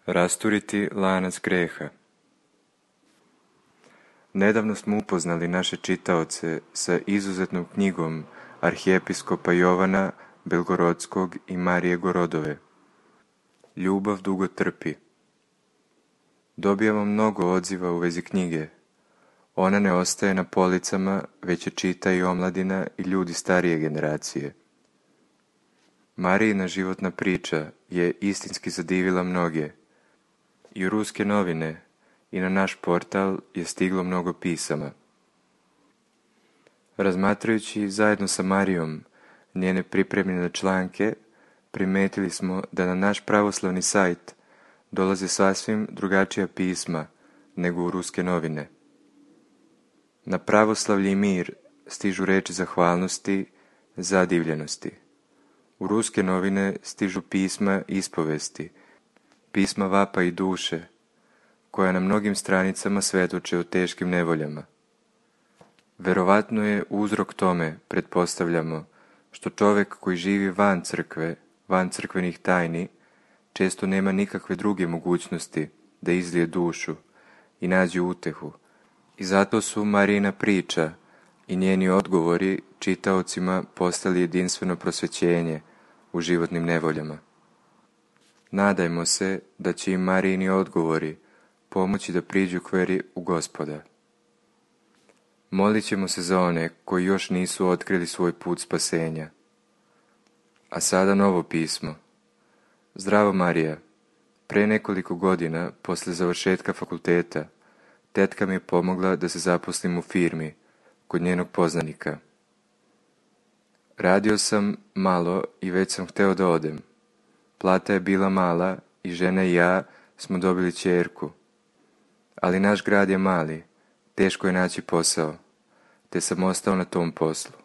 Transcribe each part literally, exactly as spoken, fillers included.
Rasturiti lanac greha. Nedavno smo upoznali naše čitaoce sa izuzetnom knjigom arhijepiskopa Jovana Belgorodskog i Marije Gorodove. Ljubav dugo trpi. Dobijamo mnogo odziva u vezi knjige. Ona ne ostaje na policama, već je čita i omladina i ljudi starije generacije. Marijina životna priča je istinski zadivila mnoge. I u ruske novine i na naš portal je stiglo mnogo pisama. Razmatrajući zajedno sa Marijom njene pripremljene članke, primetili smo da na naš pravoslavni sajt dolaze sasvim drugačija pisma nego u ruske novine. Na pravoslavlje i mir stižu reči zahvalnosti, zadivljenosti. U ruske novine stižu pisma ispovesti, pisma vapa i duše, koja na mnogim stranicama svedoče o teškim nevoljama. Verovatno je uzrok tome, pretpostavljamo, što čovjek koji živi van crkve, van crkvenih tajni, često nema nikakve druge mogućnosti da izlije dušu i nađe utehu. I zato su Marijina priča i njeni odgovori čitaocima postali jedinstveno prosvećenje u životnim nevoljama. Nadajmo se da će im Marijini odgovori pomoći da priđu k veri u Gospoda. Molit ćemo se za one koji još nisu otkrili svoj put spasenja. A sada novo pismo. Zdravo Marija, pre nekoliko godina, posle završetka fakulteta, tetka mi je pomogla da se zaposlim u firmi, kod njenog poznanika. Radio sam malo i već sam hteo da odem. Plata je bila mala i žena i ja smo dobili ćerku. Ali naš grad je mali, teško je naći posao, te sam ostao na tom poslu.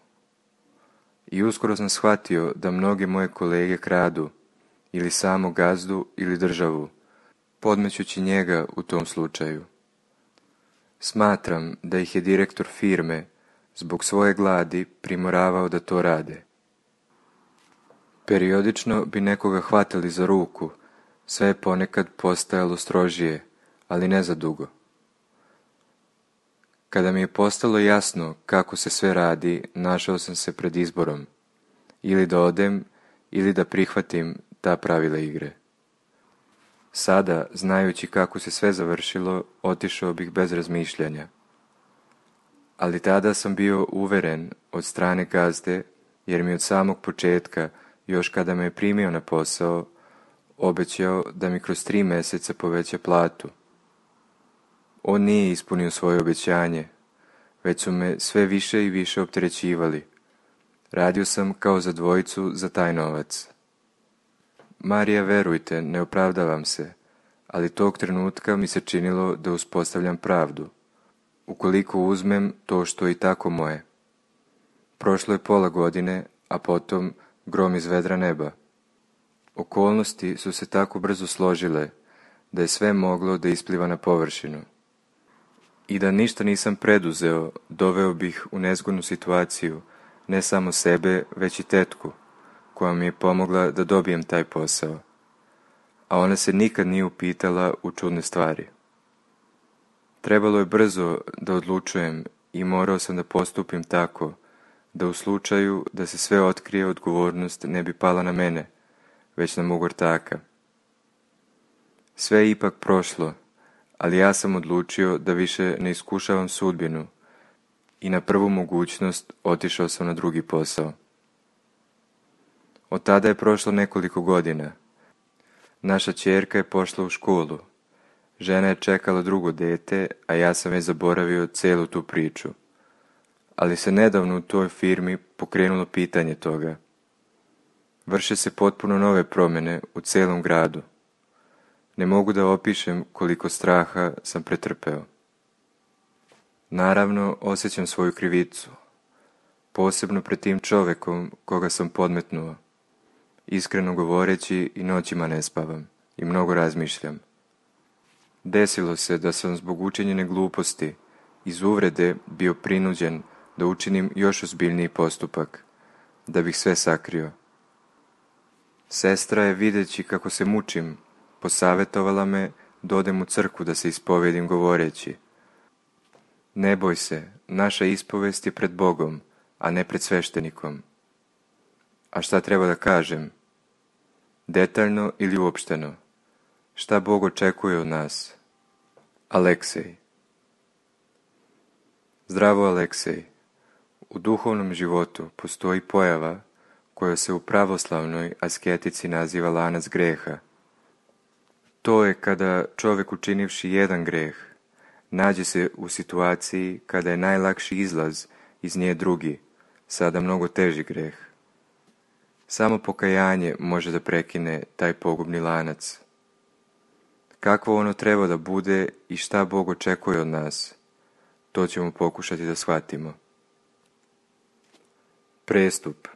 I uskoro sam shvatio da mnoge moje kolege kradu, ili samo gazdu ili državu, podmećući njega u tom slučaju. Smatram da ih je direktor firme zbog svoje gladi primoravao da to rade. Periodično bi nekoga hvatali za ruku, sve je ponekad postajalo strožije, ali ne za dugo. Kada mi je postalo jasno kako se sve radi, našao sam se pred izborom, ili da odem, ili da prihvatim ta pravila igre. Sada, znajući kako se sve završilo, otišao bih bez razmišljanja. Ali tada sam bio uveren od strane gazde, jer mi od samog početka, još kada me je primio na posao, obećao da mi kroz tri mjeseca poveća platu. On nije ispunio svoje obećanje, već su me sve više i više opterećivali. Radio sam kao za dvojicu za taj novac. Marija, verujte, ne opravdavam se, ali tog trenutka mi se činilo da uspostavljam pravdu, ukoliko uzmem to što je i tako moje. Prošlo je pola godine, a potom grom iz vedra neba. Okolnosti su se tako brzo složile da je sve moglo da ispliva na površinu. I da ništa nisam preduzeo, doveo bih u nezgodnu situaciju ne samo sebe, već i tetku, koja mi je pomogla da dobijem taj posao. A ona se nikad nije upitala u čudne stvari. Trebalo je brzo da odlučujem i morao sam da postupim tako, da u slučaju da se sve otkrije, odgovornost ne bi pala na mene, već na mog ortaka. Sve je ipak prošlo, ali ja sam odlučio da više ne iskušavam sudbinu i na prvu mogućnost otišao sam na drugi posao. Od tada je prošlo nekoliko godina. Naša ćerka je pošla u školu. Žena je čekala drugo dete, a ja sam već zaboravio celu tu priču. Ali se nedavno u toj firmi pokrenulo pitanje toga. Vrše se potpuno nove promjene u celom gradu. Ne mogu da opišem koliko straha sam pretrpeo. Naravno, osjećam svoju krivicu. Posebno pred tim čovekom koga sam podmetnuo. Iskreno govoreći, i noćima ne spavam i mnogo razmišljam. Desilo se da sam zbog učinjene gluposti iz uvrede bio prinuđen da učinim još ozbiljniji postupak, da bih sve sakrio. Sestra je, videći kako se mučim, posavjetovala me da odem u crkvu da se ispovijedim govoreći: ne boj se, naša ispovest je pred Bogom, a ne pred sveštenikom. A šta treba da kažem? Detaljno ili uopšteno? Šta Bog očekuje od nas? Aleksej. Zdravo, Aleksej. U duhovnom životu postoji pojava koja se u pravoslavnoj asketici naziva lanac greha. To je kada čovjek, učinivši jedan greh, nađe se u situaciji kada je najlakši izlaz iz nje drugi, sada mnogo teži greh. Samo pokajanje može da prekine taj pogubni lanac. Kakvo ono treba da bude i šta Bog očekuje od nas, to ćemo pokušati da shvatimo. Prestup.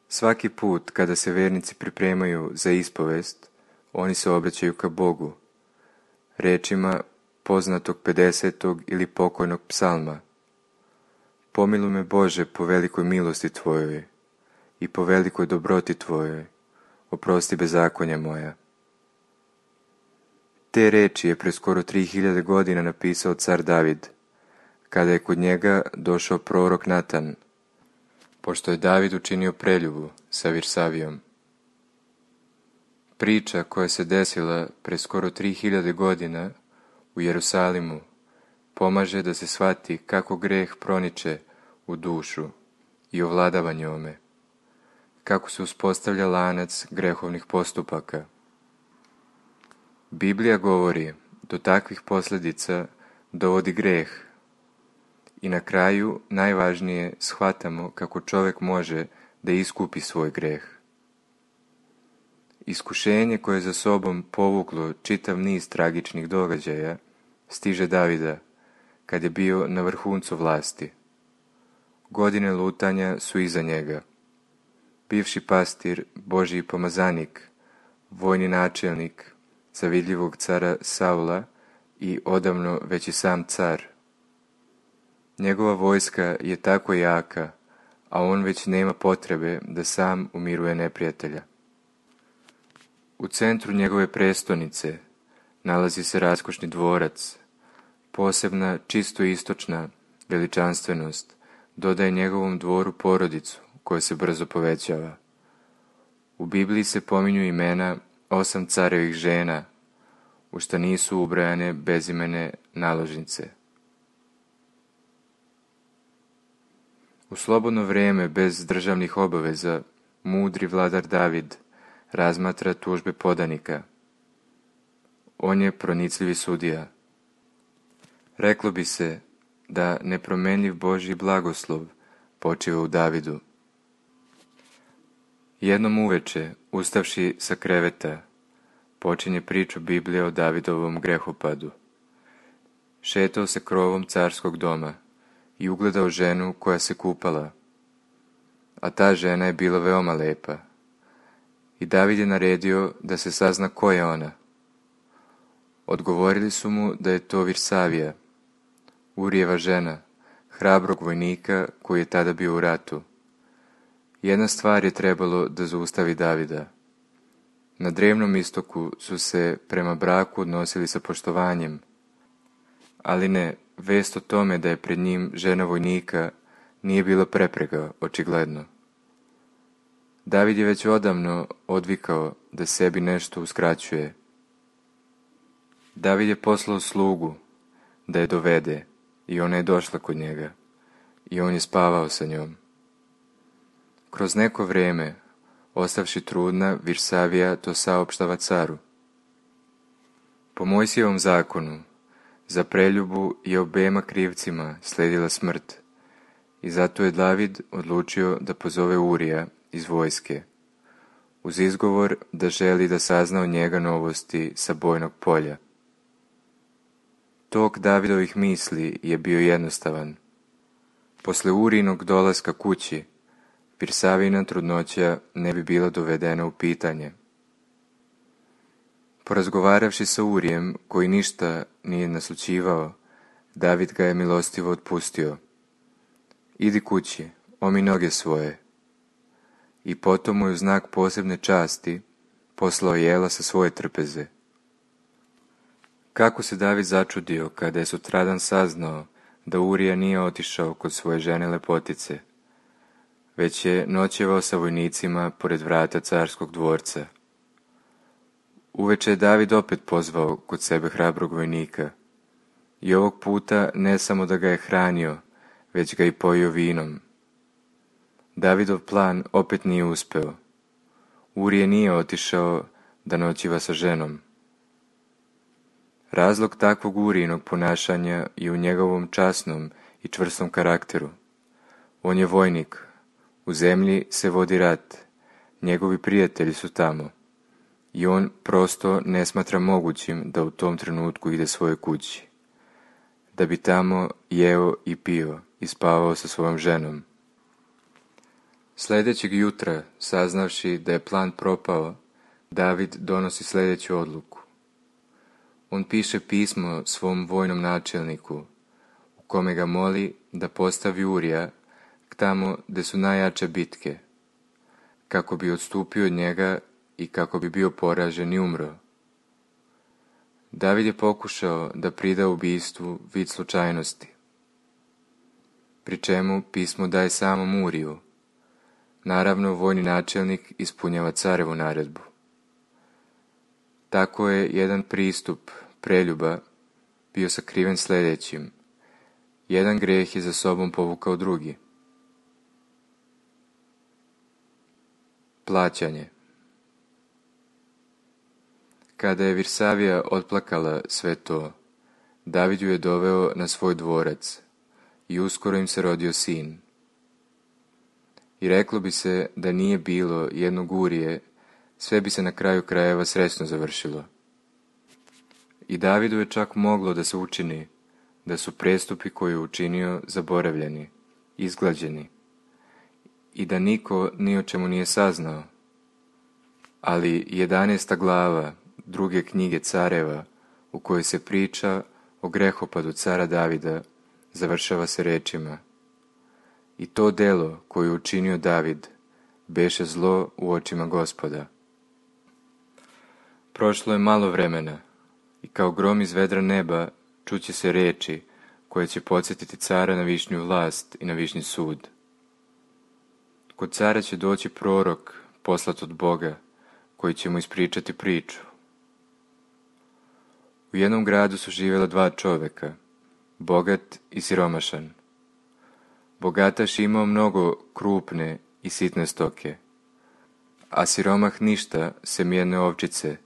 Svaki put kada se vernici pripremaju za ispovest, oni se obraćaju ka Bogu, rečima poznatog pedesetog ili pokojnog psalma: pomiluj me, Bože, po velikoj milosti Tvojoj i po velikoj dobroti Tvojoj, oprosti bezakonja moja. Te reči je pre skoro tri hiljade godina napisao car David, kada je kod njega došao prorok Natan, pošto je David učinio preljubu sa Virsavijom. Priča koja se desila pre skoro tri hiljade godina u Jerusalimu pomaže da se shvati kako greh proniče u dušu i ovladava njome, kako se uspostavlja lanac grehovnih postupaka. Biblija govori do takvih posljedica dovodi greh i na kraju najvažnije shvatamo kako čovjek može da iskupi svoj greh. Iskušenje koje je za sobom povuklo čitav niz tragičnih događaja stiže Davida kad je bio na vrhuncu vlasti. Godine lutanja su iza njega. Bivši pastir, Božji pomazanik, vojni načelnik zavidljivog cara Saula i odavno već i sam car. Njegova vojska je tako jaka, a on već nema potrebe da sam umiruje neprijatelja. U centru njegove prestonice nalazi se raskošni dvorac. Posebna, čisto istočna veličanstvenost dodaje njegovom dvoru porodicu koja se brzo povećava. U Bibliji se pominju imena osam carevih žena, u šta nisu ubrajane bezimene naložnice. U slobodno vrijeme bez državnih obaveza mudri vladar David razmatra tužbe podanika. On je pronicljivi sudija. Reklo bi se da nepromenljiv Božji blagoslov počiva u Davidu. Jednom uveče, ustavši sa kreveta, počinje priču Biblije o Davidovom grehopadu. Šetao se krovom carskog doma i ugledao ženu koja se kupala, a ta žena je bila veoma lepa. I David je naredio da se sazna ko je ona. Odgovorili su mu da je to Virsavija, Urijeva žena, hrabrog vojnika koji je tada bio u ratu. Jedna stvar je trebalo da zaustavi Davida. Na drevnom istoku su se prema braku odnosili sa poštovanjem, ali ne, vest o tome da je pred njim žena vojnika nije bila prepreka, očigledno. David je već odavno odvikao da sebi nešto uskraćuje. David je poslao slugu da je dovede i ona je došla kod njega i on je spavao sa njom. Kroz neko vrijeme, ostavši trudna, Virsavija to saopštava caru. Po Mojsijevom zakonu, za preljubu je obema krivcima sledila smrt i zato je David odlučio da pozove Urija iz vojske, uz izgovor da želi da sazna od njega novosti sa bojnog polja. Tok Davidovih misli je bio jednostavan. Posle Urijinog dolaska kući, Virsavijina trudnoća ne bi bila dovedena u pitanje. Porazgovaravši sa Urijem, koji ništa nije naslućivao, David ga je milostivo otpustio. Idi kući, omi noge svoje. I potom mu je u znak posebne časti poslao jela sa svoje trpeze. Kako se David začudio kada je sutradan saznao da Urija nije otišao kod svoje žene lepotice, već je noćevao sa vojnicima pored vrata carskog dvorca. Uveče je David opet pozvao kod sebe hrabrog vojnika i ovog puta ne samo da ga je hranio, već ga i pojio vinom. Davidov plan opet nije uspeo. Urije nije otišao da noćiva sa ženom. Razlog takvog Urijinog ponašanja je u njegovom časnom i čvrstom karakteru. On je vojnik, u zemlji se vodi rat, njegovi prijatelji su tamo i on prosto ne smatra mogućim da u tom trenutku ide svojoj kući, da bi tamo jeo i pio i spavao sa svojom ženom. Sljedećeg jutra, saznavši da je plan propao, David donosi sljedeću odluku. On piše pismo svom vojnom načelniku, u kome ga moli da postavi Urija tamo gdje su najjače bitke, kako bi odstupio od njega i kako bi bio poražen i umro. David je pokušao da prida ubistvu vid slučajnosti, pri čemu pismo daje samom Uriju. Naravno, vojni načelnik ispunjava carevu naredbu. Tako je jedan pristup preljuba bio sakriven sljedećim. Jedan greh je za sobom povukao drugi. Plaćanje. Kada je Virsavija otplakala sve to, David ju je doveo na svoj dvorac i uskoro im se rodio sin. I reklo bi se da nije bilo jednog Urije, sve bi se na kraju krajeva srećno završilo. I Davidu je čak moglo da se učini da su prestupi koje je učinio zaboravljeni, izglađeni i da niko ni o čemu nije saznao. Ali jedanaesta glava druge knjige Careva, u kojoj se priča o grehopadu cara Davida, završava se rečima: i to delo koje je učinio David beše zlo u očima Gospoda. Prošlo je malo vremena i kao grom iz vedra neba čuće se reči koje će podsjetiti cara na višnju vlast i na višnji sud. Kod cara će doći prorok poslat od Boga, koji će mu ispričati priču. U jednom gradu su živjela dva čovjeka, bogat i siromašan. Bogataš imao mnogo krupne i sitne stoke, a siromah ništa sem jedne ovčice,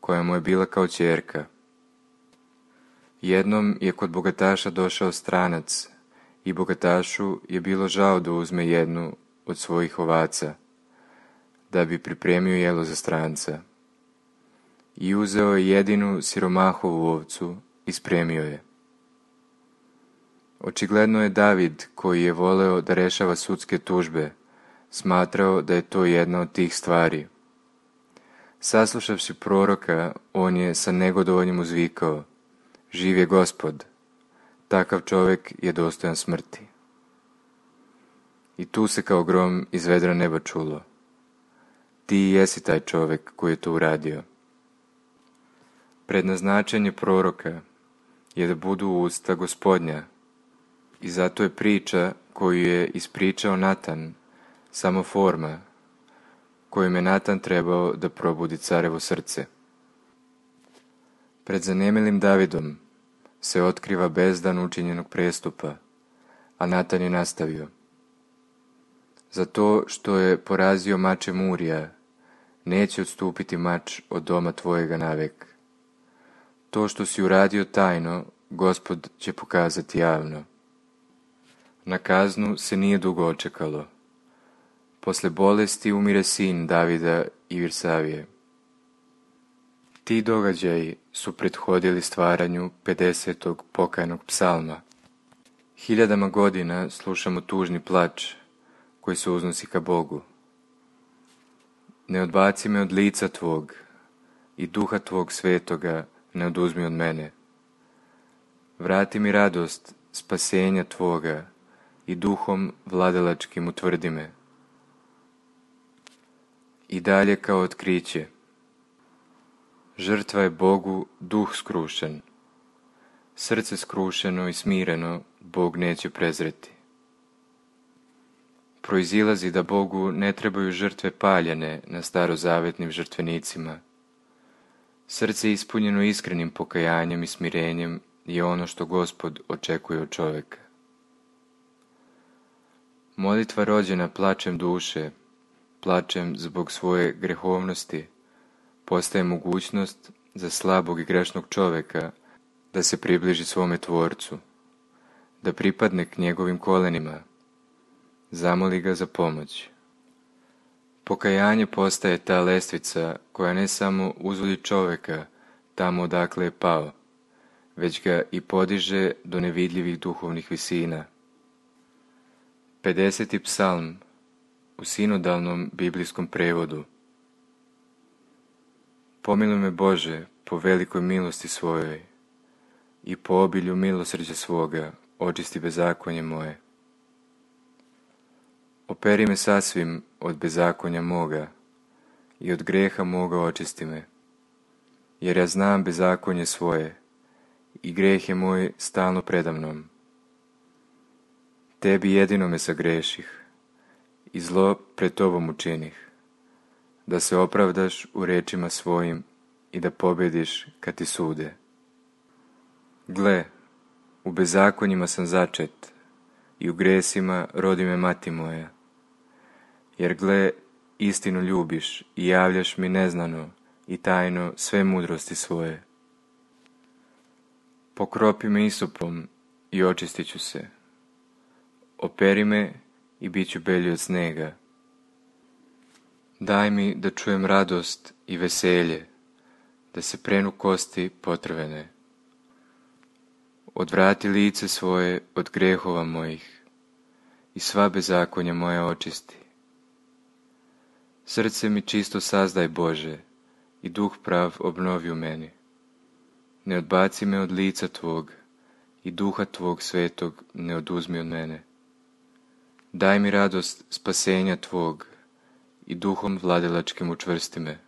koja mu je bila kao ćerka. Jednom je kod bogataša došao stranac i bogatašu je bilo žao da uzme jednu od svojih ovaca, da bi pripremio jelo za stranca. I uzeo je jedinu siromahovu ovcu i spremio je. Očigledno je David, koji je voleo da rešava sudske tužbe, smatrao da je to jedna od tih stvari. Saslušavši proroka, on je sa negodovanjem uzvikao: živ je Gospod, takav čovjek je dostojan smrti. I tu se kao grom iz vedra neba čulo: ti jesi taj čovjek koji je to uradio. Prednaznačenje proroka je da budu usta Gospodnja, i zato je priča koju je ispričao Natan samo forma kojim je Natan trebao da probudi carevo srce. Pred zanemilim Davidom se otkriva bezdan učinjenog prestupa, a Natan je nastavio: za to što je porazio mačem Urija, neće odstupiti mač od doma tvojega navek. To što si uradio tajno, Gospod će pokazati javno. Na kaznu se nije dugo očekalo. Posle bolesti umire sin Davida i Virsavije. Ti događaji su prethodili stvaranju pedesetog pokajnog psalma. Hiljadama godina slušamo tužni plač koji se uznosi ka Bogu. Ne odbaci me od lica tvog i duha tvog svetoga ne oduzmi od mene. Vrati mi radost spasenja tvoga i duhom vladalačkim utvrdi me. I dalje kao otkriće: Žrtva je Bogu duh skrušen. Srce skrušeno i smireno Bog neće prezreti. Proizilazi da Bogu ne trebaju žrtve paljene na starozavetnim žrtvenicima. Srce ispunjeno iskrenim pokajanjem i smirenjem je ono što Gospod očekuje od čovjeka. Molitva rođena plačem duše, plačem zbog svoje grehovnosti, postaje mogućnost za slabog i grešnog čovjeka da se približi svome Tvorcu, da pripadne k njegovim kolenima, zamoli ga za pomoć. Pokajanje postaje ta lestvica koja ne samo uzvodi čovjeka tamo odakle je pao, već ga i podiže do nevidljivih duhovnih visina. pedeseti psalm u sinodalnom biblijskom prevodu. Pomiluj me Bože po velikoj milosti svojoj i po obilju milosrđa svoga očisti bezakonje moje. Operi me sasvim od bezakonja moga i od greha moga očisti me, jer ja znam bezakonje svoje i greh je moj stalno predamnom. Tebi jedino me sagreših i zlo pred tobom učinih, da se opravdaš u rečima svojim i da pobjediš kad ti sude. Gle, u bezakonjima sam začet i u gresima rodi me mati moja. Jer gle, istinu ljubiš i javljaš mi neznano i tajno sve mudrosti svoje. Pokropi me isopom i očistit ću se. Operi me i bit ću belji od snega. Daj mi da čujem radost i veselje, da se prenu kosti potrvene. Odvrati lice svoje od grehova mojih i sva bezakonja moja očisti. Srce mi čisto sazdaj Bože i duh prav obnovi u meni. Ne odbaci me od lica Tvog i duha Tvog svetog ne oduzmi od mene. Daj mi radost spasenja Tvog i duhom vladilačkim učvrsti me.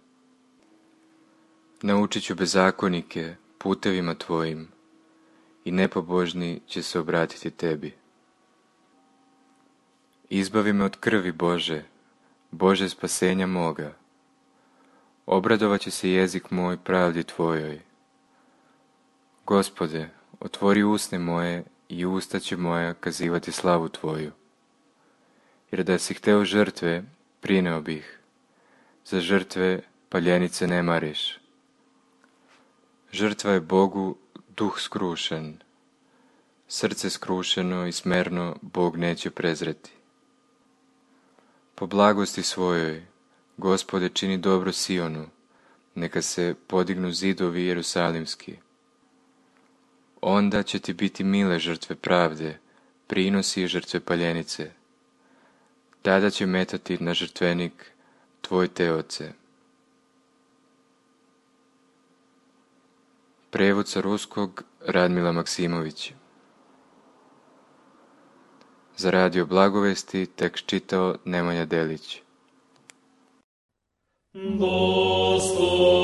Naučit ću bezakonike putevima Tvojim i nepobožni će se obratiti Tebi. Izbavi me od krvi Bože, Bože spasenja moga. Obradovat će se jezik moj pravdi Tvojoj. Gospode, otvori usne moje i usta će moja kazivati slavu Tvoju. Jer da si hteo žrtve, prineo bih. Za žrtve paljenice ne mariš. Žrtva je Bogu duh skrušen. Srce skrušeno i smerno Bog neće prezreti. Po blagosti svojoj, Gospode, čini dobro Sionu, neka se podignu zidovi jerusalimski. Onda će ti biti mile žrtve pravde, prinosi i žrtve paljenice. Tada će metati na žrtvenik tvoj teoce. Prevod sa ruskog Radmila Maksimović. Za Radio Blagovesti tekst čitao Nemanja Delić. Gospod